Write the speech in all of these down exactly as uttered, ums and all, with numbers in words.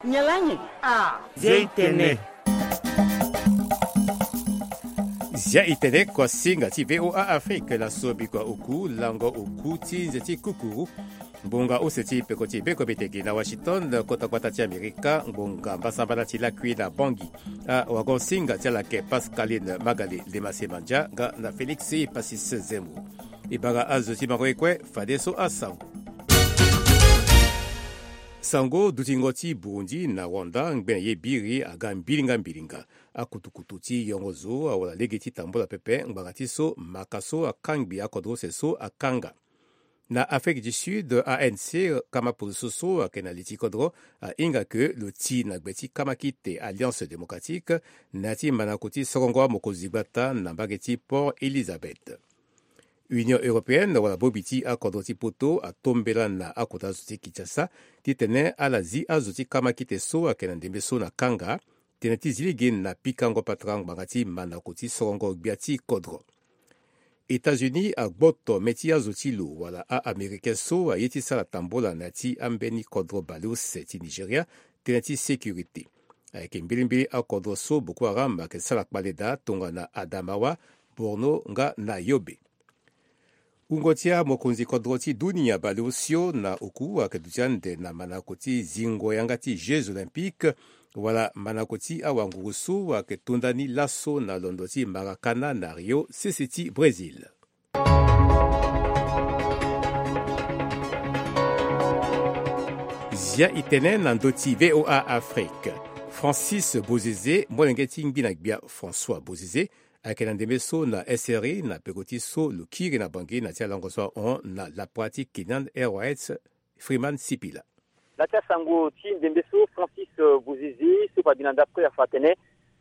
Nyen lani? Ah, Zia e tene. Zia e tene, kuasinga ti VOA Afrique laso, bikua oku lango oku ti nze ti kukuru. Ngbonga use ti peko ti beko biteki na Washington, kota gbata ti Amerika, ngbonga mbasambala ti lakui na Bangui. Awagosinga ti ala yeke Pascaline Magalé, Lemase Mandia nga na Félix Passis Zembo. E bara azo ti mango ye kue, fadeso asango. Sango dutingo ti Burundi na Rwanda, ngbene ye biri aga mbilinga mbilinga. Akutukutu ti yongo zo awara lege ti tambula pepe ngbanga ti so maka so akangbi akodro use so akanga. Na Afrique du Sud, A N C, kama poroso so ayeke na li ti kodro ahinga ke lo ti na gbe ti kama kite Alliance Démocratique na ya ti manako ti sorongo amokonzi gbata na mbage ti Port Elizabeth. Union Européenne wala bongbi ti akodro ti poto atombela na akota zo ti Kinshasa titene ala zi azo ti kama kite so ayeke na ndembe so na kanga, tënë ti zi lege na pikango patara ngbanga ti manako ti sorongo gbia ti kodro. États-Unis agboto mê ti azo ti lo wala a-Américain so aye ti sara tambola na ya ti ambeni kodro baleuse ti Nigeria, tënë ti sécurité. Ayeke mbilimbili akodro so Boko Haram ayeke sara kpale daa tongana Adamawa, Borno nga na Yobe. Wungo ti amokonzi kodro ti dunia baleosio na oku ayeke duti ande na manako ti zingo yanga ti Jeux Olympiques, wala manako ti awanguru so ayeke to ndani laso na londo ti Maracana na Rio, sese ti Brésil. Zia e tene na ndö ti VOA Afrique. Francis Bozeze, molenge ti ngbi na gbia François Bozeze, ayeke na ndembe so na S R I na peko ti so lo kiri na Bangui na ti alango so ahon na lapara ti Kenyan Airways, Freeman Sipila. Na ti asango ti ndembe so, Francis, euh, Bozeze so fa bi na ndapre afa atene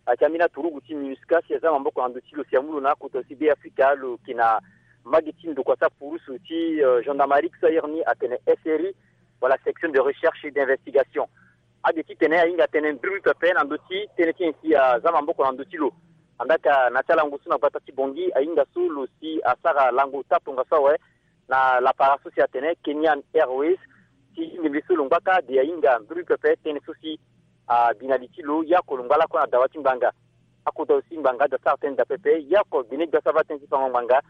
ayeke ambeni aturugu ti MINUSCA si aza maboko na ndö ti lo si amu lo na akota ti Be Afrika, lo yeke na mbage ti ndokua ti apurusu ti, euh, gendarmerie so ahiri ni atene S R I, wala section de recherche et d'investigation. Ade titene ahinga tënë nduru pepe na ndö ti tënë ti nyen si aza maboko na ndö ti lo. Andaka na ti alango so na gbata ti Bangui ahinga so lo si asara lango ota tongaso awe na lapara so si atene Kenyan Airways, ti ndembe so lo ngbaka de ahinga nduru pepe tënë so si abi na li ti lo, ya oko lo ngba lakue na dawa ti ngbanga. Akota lo si ngbanga ade asara tënë daa pepe, ya oko gbene gbia so ava tënë ti fango ngbanga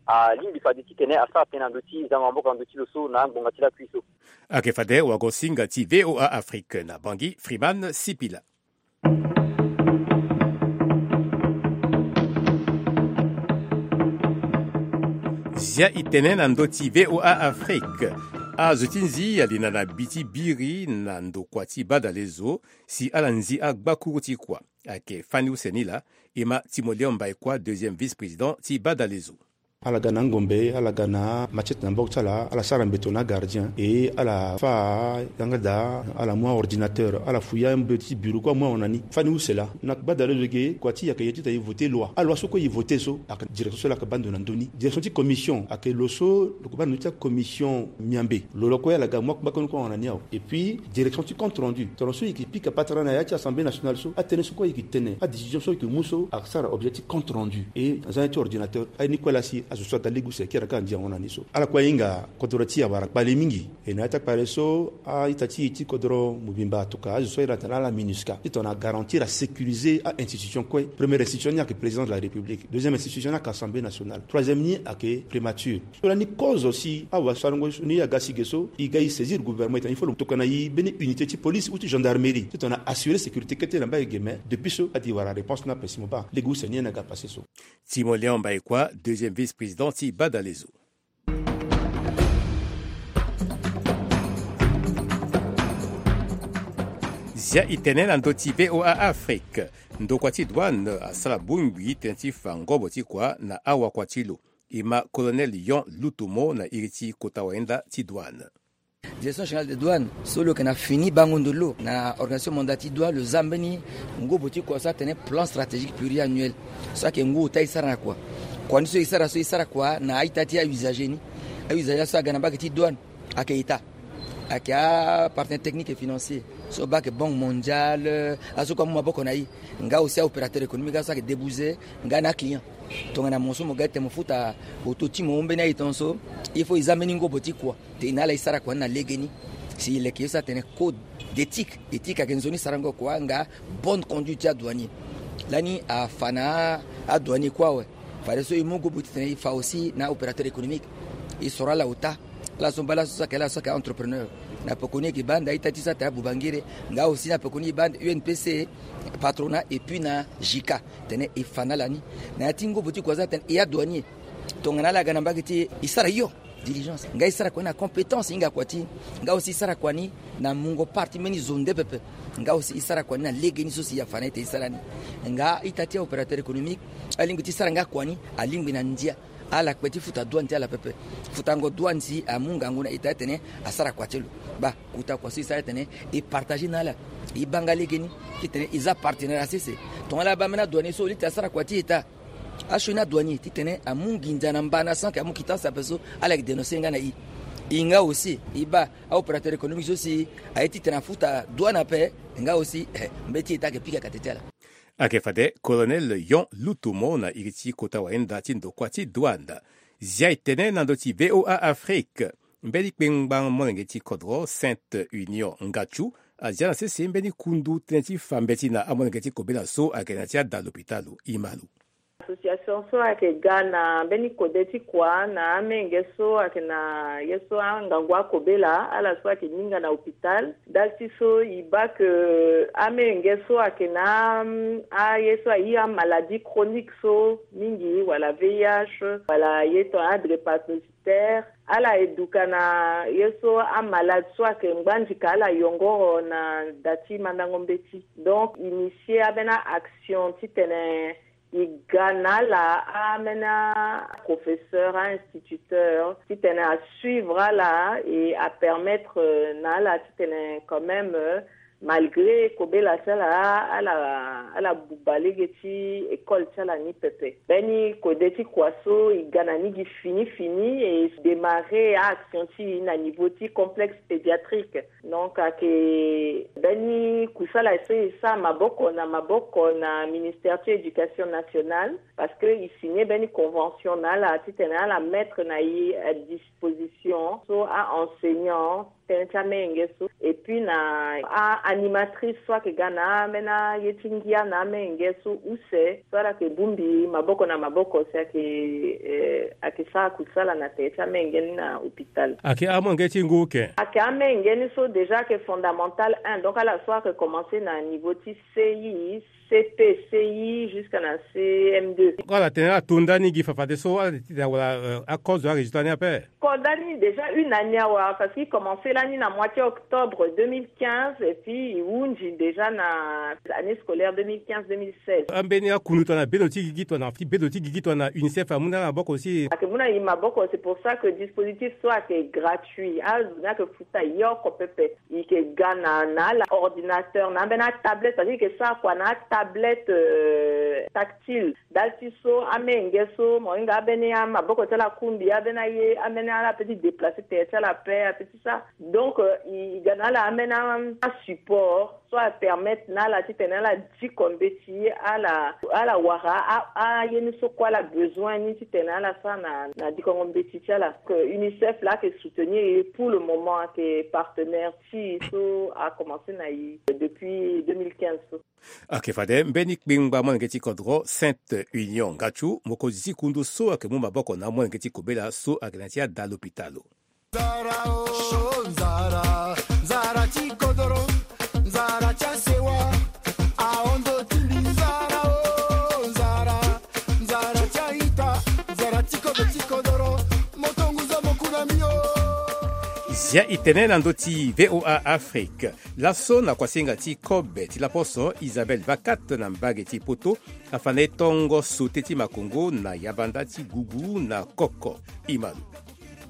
alingbi fade titene asara tënë na ndö ti zango maboko na ndö ti lo so na angbonga ti lakui so. Ayeke fade wagosinga ti VOA Afrique na Bangui, Freeman Sipila. Zia e tene na ndö ti VOA Afrique. Azo ti nzi ali na na bi ti biri na ndokua ti badalezo si ala nzi agbakuru ti kua. Ayeke fani use ni laa, e ma Timoléon Mbaïkua, deuxième vice-président ti badalezo. Ala ga na angombe, ala ga na machette na maboko ti ala, ala sara mbeto na agardien, e ala fâ yanga daa, ala mu aordinateur, ala fu ya mbeto ti bureau kue amu ahon na ni. Fani use laa, na badalezo ge, kua ti e ayeke ye titene e voté loi. Aloi so kue e voté so, ayeke direction so laa ayeke baa ndo na ndö ni. Direction ti commission ayeke lo so lo yeke baa ndo ti acommission miambe. Lo lo kue ala ga mu akpakoni kue ahon na ni awe. Et puis direction ti compte rendu, tongana so e yeke pika patara na ya ti Assemblée nationale so, atënë so kue e yeke tene, adécision so e yeke mu so, asara objet ti compte rendu. E na zia ni ti ordinateur, aye ni kue laa si azo so aga lege use kiri aga andia ahon na ni so. Ala kue ahinga kodro ti e awara kpale mingi. E na ya ti akpale so, a-ita ti e ti kodro mobimba atokua azo so ahiri atene ala MINUSCA titene a garantir, a sécuriser a-institution kue. Première institution ni ayeke président de la République. Deuxième institution ni ayeke Assemblée nationale. Troisième ni ayeke primature. So lani kozo si awasarango ni aga si ge so, e ga e saisir gouvernement, e tene il faut lo tokua na e mbeni unité ti police ou ti gendarmerie titene a assurer sécurité kete na mbage ge. Mais depuis so ade e wara réponse ni ape si mo baa lege use ni ayeke na ga passé so. Timoléon Mbaïkua, deuxième vice-président ti badalezo. Zia e tene na ndö ti VOA Afrique. Ndokua ti douane asara bongbi tënë ti fa ngobo ti kua na awakua ti lo. E ma Colonel Yon Lutomo na iri ti kota wayenda ti douane. Direction générale de douane so lo yeke na fini bango ndo lo na organisation mondiale ti douane, lo za mbeni ngobo ti kua so atene plan stratégique pluriannuel. So ayeke ngu ota e sara na kua. Kua ni so e sara so, e sara kua na a-ita ti a-usager ni. A-usager so aga na mbage ti douane ayeke État, ayeke apartenaire technique et financier so baa ayeke Banque mondiale, azo so kue amu maboko na e, nga aussi a-opérateur économique, azo so ayeke débouser nga na aclient. Tongana mo so mo ga tene mo futa auto ti mo mbeni a-ita so, il faut e za mbeni ngobo ti kua. Tene ala e sara kua ni na legeni. Si e leke ye so atene code d'éthique, éthique ayeke nzoni sarango kua nga bonne conduite ti adouanier. Lani afa na adouanier kue awe. Fadeso e mu gobo titene e fa aussi na opérateur économique. E soro ala ota. Ala so mba laso so ayeke ala so ayeke entrepreneur. Na pekoni e yeke baa nda ita ti so atene abubangere. Nga aussi na pekoni e baa nda U N P C, patronat et puis na JICA. Tene e fa na ala ni. Na ya ti ngobo ti kua so atene e adouanier. Tongana ala ga na mbage ti e, e sara hio diligence. Nga e sara kua ni na compétence e hinga kua ti e. Nga aussi e sara kua ni na mungo part ti mbeni zo nde pepe. Nga aussi e sara kua ni na legeni so si e afa na e tene e sara ni. Nga ita ti aopérateur économique alingbi ti sara nga kua ni, alingbi na ndia. Ala kpe ti futa douane ti ala pepe. Futango douane si amu ngangu na ita titene asara kua ti lo. Baa, kota kua so e sara titene e partager na ala. E baa nga legeni titene e za partenaire na sese. Tongana ala baa mbeni adouanier so li titene asara kua ti ita. Asioni adouanier titene amu nginza na mba na sans que amu quittance ape so, ala yeke dénoncer nga na e. E nga aussi e baa aopérateur économique so si aye titene afuta douane ape. Nga aussi, eh, mbeti ita ayeke pika kate ti ala. Ayeke fade Colonel Yon Lutumo na iri ti kota wayenda ti ndokua ti douane. Zia e tene na ndö ti V O A Afrique. Mbeni kpengba molenge ti kodro Sainte Union Ngatchou azia na sese mbeni kundu tënë ti fa mbeti na amolenge ti kobela so ayeke na ya ti ada lopitalo. E ma lo. Association so ayeke ga na mbeni kode ti kua na amenge so ayeke na ye so angangu akobela, ala so ayeke hinga na hôpital. Dal ti so e baa ke amenge so ayeke na, mm, aye so aye amaladie chronique so mingi, wala V I H, wala ye tongana adrépanocytaire, ala e duka na ye so amalade so ayeke ngbandika ala yongoro na da ti mandango mbeti. Donc initier ambeni action titene e ga na ala ambeni aprofesseur, ainstituteur, titene asuivre ala et apermettre na ala titene quand même, malgré kobela ti ala, ala, ala buba lege ti école ti ala ni pepe. Mbeni kode ti kua so e ga na ni gi fini fini e démarrer action ti e na niveau ti complexe pédiatrique. Donc ayeke mbeni kusala so e sara maboko na maboko na ministère ti éducation nationale, parce que e signer mbeni convention na ala titene ala mettre na e à disposition so a-enseignant tënë ti amenge so, et puis na a-animatrice so ayeke ga na ambeni aye ti ngia na amenge so use, so ala yeke bongbi maboko na maboko si ayeke, eh, ayeke sara kusala na tere ti amenge ni na hôpital. Ayeke amolenge ti ngu ke? Ayeke amenge ni so déjà ayeke fondamental un, donc ala so ayeke commencer na niveau ti C I, C P, C I jusqu'à na C M deux. Ala tene ala to nda ni gi fafadeso, ala tene wala, euh, akozo arésultat ni ape? Ko nda ni déjà une année awe, parce que e commencer lani na mois ti octobre deux mille quinze et puis e hunzi déjà na année scolaire deux mille quinze deux mille seize. Ambeni akundu tongana bendo ti gigi tongana, ti bendo ti gigi tongana UNICEF amu na ala maboko aussi? Ayeke mu na e maboko, c'est pour ça que dispositif so ayeke gratuit, azo ni ayeke futa yoko pepe. E yeke ga na, na ala ordinateur, na ambeni atablette, parce que e yeke sara kua na atablette, euh, tactile. Dal ti so amenge so mo hinga ambeni amaboko ti ala akungbi, ambeni aye, ambeni ala peut ti déplacer tere ti ala ape, ape ti sara. Donc, euh, e, e ga na ala ambeni a, a support so apermettre na ala titene ala diko mbeti, ala, ala wara a, aye ni so kue ala besoin ni titene ala sara na, na dikongo mbeti ti ala. Que UNICEF laa ayeke soutenir e pour le moment, ayeke partenaire ti e so a commencer na e depuis deux mille quinze so. Ayeke fade mbeni kpengba molenge ti kodro Sainte Union Ngatchou, mokonzi ti kundu so ayeke mu maboko na amolenge ti kobela so ayeke na ya ti ada lopitalo. Nzara o, nzara, nzara ti kodoro, nzara ti asewa, ahon ndo ti mbi. Nzara o, nzara, nzara ti a-ita, nzara ti kobe ti kodoro, moto ngu zo mo ku na mbi o. Zia e tene na ndö ti V O A Afrique. Laso na kuasinga ti kobe ti laposo, Isabelle Vakat na mbage ti Poto afa na e tongo sauté ti makongo na yabanda ti gugu na koko. E ma lo.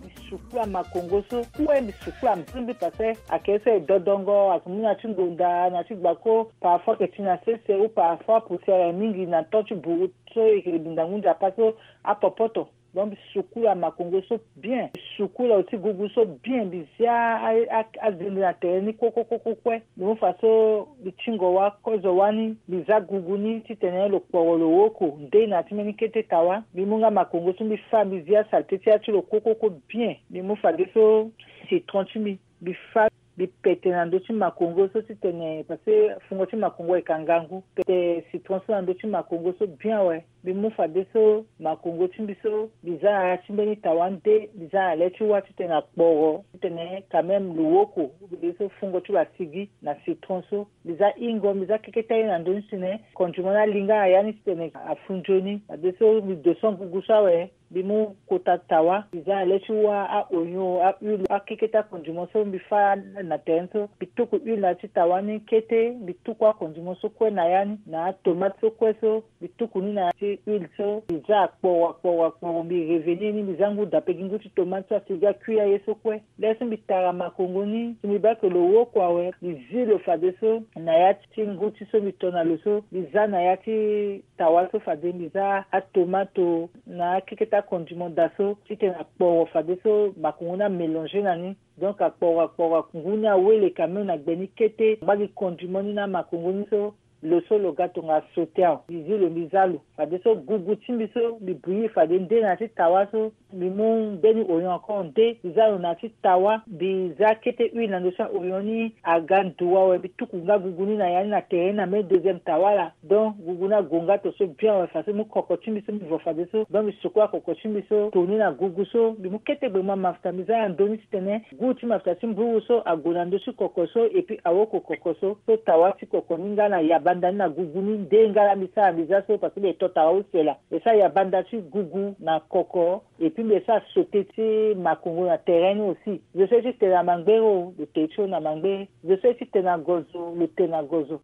Mbi sukula makongo so kue, mbi sukula mbi so mbi pase, ayeke ese dodongo, ayeke mu na ti ngonda, na ti gbako, parfois ayeke ti na sese ou parfois poussière mingi na temps ti buru so e yeke li ndangu nzapa so apopoto. Donc mbi sukula makongo so bien, mbi sukula oti gugu so bien, mbi zia a, a, azende na tere ni kue kue kue kue kue. Mbi mu fa so mbi tingo wa kozo wani, mbi za gugu ni titene lo kporo lo woko nde na ti mbeni kete tawa. Mbi mu nga makongo so mbi fa, mbi zia saleté ti ya ti lo kue kue kue bien. Mbi mu fadeso citron ti mbi, mbi fa. mbi pete na ndö ti makongo so titene parce que fungo ti makongo ayeke ngangu. Pete citron so na ndö ti makongo so bien awe. Mbi mu fadeso makongo ti mbi so mbi za na ya ti mbeni tawa nde mbi za na le ti wâ titene akporo titene quand même lo woko. Mbi de so fungo ti lo asigi na citron so mbi za hingo mbi za keketa ye na ndö ni titene condiment ni alinga na ya ni titene afu nzoni. Fadeso mbi doso ngugu so awe. Mbi mu kota tawa mbi za na le ti wâ a-oignon, a-huile, akeketa condiment so mbi fâ na terrain so. Mbi tuku huile na ya ti tawa ni kete mbi tuku acondiment so kue na ya ni na atomate so kue so. Mbi tuku ni na ya ti huile so mbi za akporo akporo akporo mbi revenir ni mbi za ngu dape gi ngu ti tomate so asigi akui aye so kue. Lê so mbi tara makongo ni si mbi baa ke lo woko awe mbi zi lo fadeso na ya ti ngu ti so mbi to na lo so mbi za na ya ti tawa so fade mbi za atomato na akeketa condiment daa so titene akporo fadeso makongo ni amélanger na ni. Donc akporo akporo ngu ni awele quand même na gbe ni kete angba gi condiment ni na makongo ni so. Lo so lo ga tonga sauté awe mbi zi lo mbi za lo fadeso gugu ti mbi so mbi bouillir fade nde na ya ti tawa so. Mbi mu mbeni oignon encore nde mbi za lo na ya ti tawa mbi za kete huile na ndö ti aoignon ni aga ndu awe mbi tuku nga gugu ni na ya ni na tere ni na mbeni deuxième tawa laa. Donc gugu ni ague nga to so bien awe faso mbi mu koko ti mbi so mbi vo fadeso donc mbi sukula koko ti mbi so to ni na gugu so mbi mu kete gbe ma mafuta mbi za na ndö ni titene goût ti mafuta ti mburu so ague na ndö ti koko so et puis awoko koko so so tawa ti koko ni nga na yabanda ni na gugu ni nde nga laa mbi sara mbi za so parce que mbi to tawa use laa. Mbi sara yabanda ti gugu na koko et puis mbi sara sauté ti makongo na terrain ni aussi. Zo so ye ti te na mangbere o lo te ti lo na mangbere. Zo so ye ti te na gozo lo te na gozo.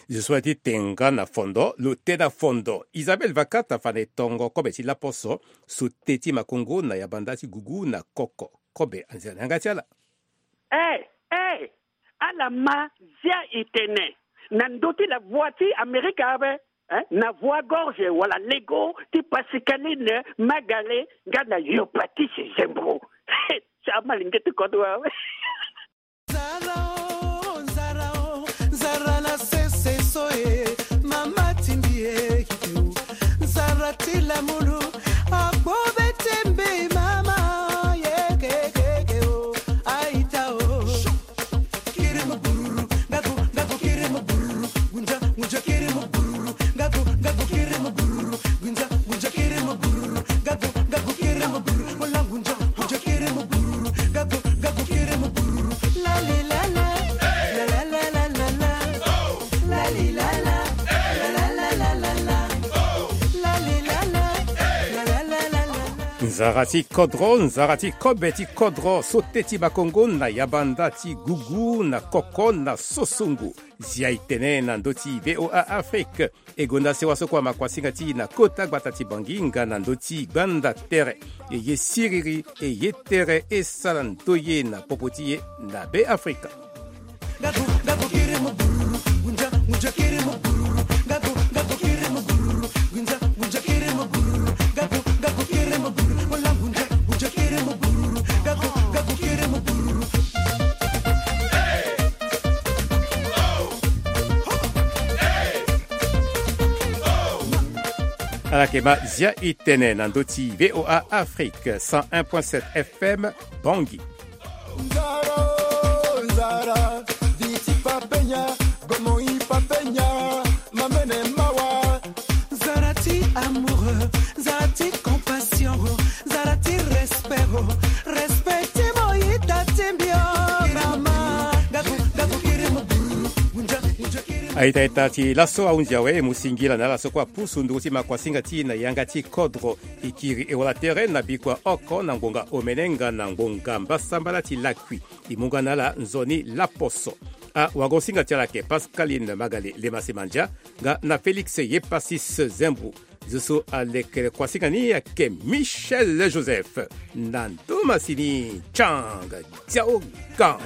Zo so ye ti te nga na fondo lo te na fondo. Isabelle Vakata fa na e tongo kobe ti laposo sauté ti makongo na yabanda ti gugu na koko. Kobe anzia na yanga ti ala. Eh, eh, ala ma zia e tene na ndö ti la voix ti Amerika ape, eh, na voix gorge wala lego ti Pascaline Magale nga na Yopatis Zembro. Ti amalenge ti kodro awe. Nzara o, nzara o, nzara na sese so e, mama ti mbi e, nzara ti lamulu, akpo be ti mbi mama, ye ke ke ke o, aita o. Kiri mo bururu, ngaku, ngaku kiri mo bururu, gunja, gunja kiri mo bururu, ngaku, ngaku kiri mo bururu, gunja, gunja kiri mo bururu, ngaku, ngaku kiri mo bururu, mola gunja. Nzara ti kodro, nzara ti kobe ti kodro, sauté ti makongo na yabanda ti gugu na koko na sosongo. Zia e tene na ndö ti V O A Afrique. E gonda sewa so kua makuasinga ti e na kota gbata ti Bangui nga na ndö ti gbanda tere. E ye siriri, e ye tere, e sara ndoye na popo ti e na Be Afrika. Ala yeke ma zia e tene na ndö ti V O A Afrique, cent un point sept F M, Bangui. Nzara, nzara, viti papenya, gomo i papenya, mamene mawa. Nzara ti amoureux, nzara ti compassion, nzara ti respect, respect ti mo yita ti mbi o, mama. Ngaku, ngaku kiri mo buru, gunja, gunja kiri mo. Aita ita ti laso ahunzi awe, e mu singila na ala so kue apusu nduru ti makuasinga ti e na yanga ti kodro. E kiri e wara tere na bikua oko na ngonga omene nga na ngonga mbasambala ti lakui. E mu nga na ala nzoni laposo. Awagosinga ti ala ayeke Pascaline Magale Lemasemandia nga na Félix Yepasis Zembro. Zo so alekere kuasinga ni ayeke Michel Joseph na ndo masini Chang Diao Gang.